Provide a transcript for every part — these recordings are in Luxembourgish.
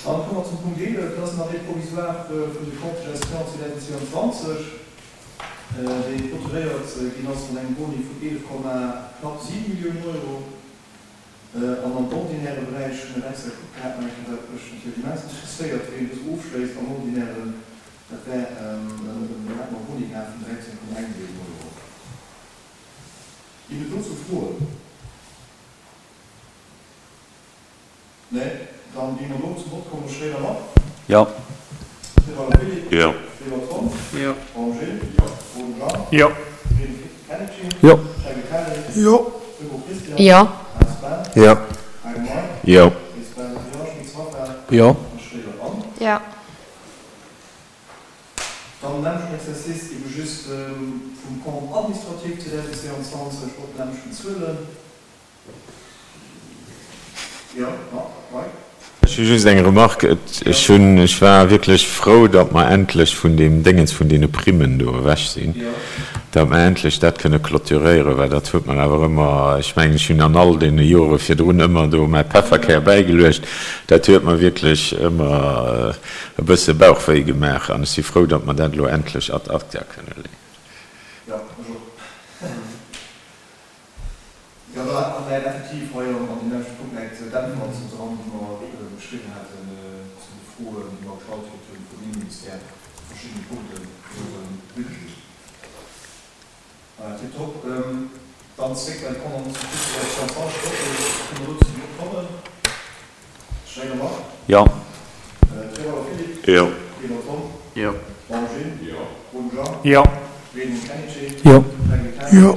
Dann komme mer zum Punkt 11, dat ass den Arrêt provisoire vun de Comptes de gestion 2022, dee clôturéiert ginn ass mat engem Boni vun 11, knapp 7 Milliounen Euro. An am ordinäre Beräich hu mir extra gekuckt gehat, nach eng Kéier, wat mech natierlech immens interesséiert, wéi een dës ofschléisst am ordinären, dat wär, do hätte mer e Boni gehat vun 13,1 Milliounen Euro. Ginn et dozou Froen? Nee? Dann gi mer do zum Vott kommen. Schréider Marc? Jo. Riwal Philippe? Jo. Weber Tom? Jo. Baum Gilles? Jo. Roden Jean? Jo. Reding Kennedy? Jo. Schengen Kelly? Jo. Deco Christian? Jo. Haas Ben? Jo. Hein Mike? Jo. Ries Ben? Jo. Schmitz Raphaël? Jo. A Schréider Anne? Jo. Dann nämmlechen Exercice, ebe just vum Compte administratif 2022, och d'nämmlechen Zuelen. Ech hu just eng Remarque. Ech hunn, ech war wierklech frou, datt mer endlech vun deem Déngens vun deene Primmen do ewech sinn, datt mer endlech dat kënne clôturéieren, well dat huet mer awer ëmmer, ech mengen, ech hunn an all deene Jore virdrun ëmmer do mäi Pefferkär bäigeluecht, dat huet mer wierklech ëmmer e bësse Bauchwéi gemaach an ech si frou, datt mer dat elo endlech ad acta kënne leeën. Jo, do hat mer effektiv hei an deem leschte Punkt läit d'Äntwert dran, déi mer geschriwwen haten zu de Froen, déi mer gestallt kritt hunn vum Inneministère zu verschiddene Punkten vum Budget. Voilà, tiptop. Dann zréck bei d'Condamnation de 22 Kënne mer do zum Vott kommen? Schréider Marc? Jo. Trewalder Philippe? Jo. Weber Tom? Jo. Baum Gilles? Jo. Roden Jean? Jo. Reding Kennedy? Jo. Frängel Kelly? Jo.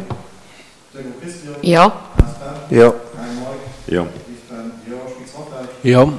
Jo. Jo. Jo. Jo.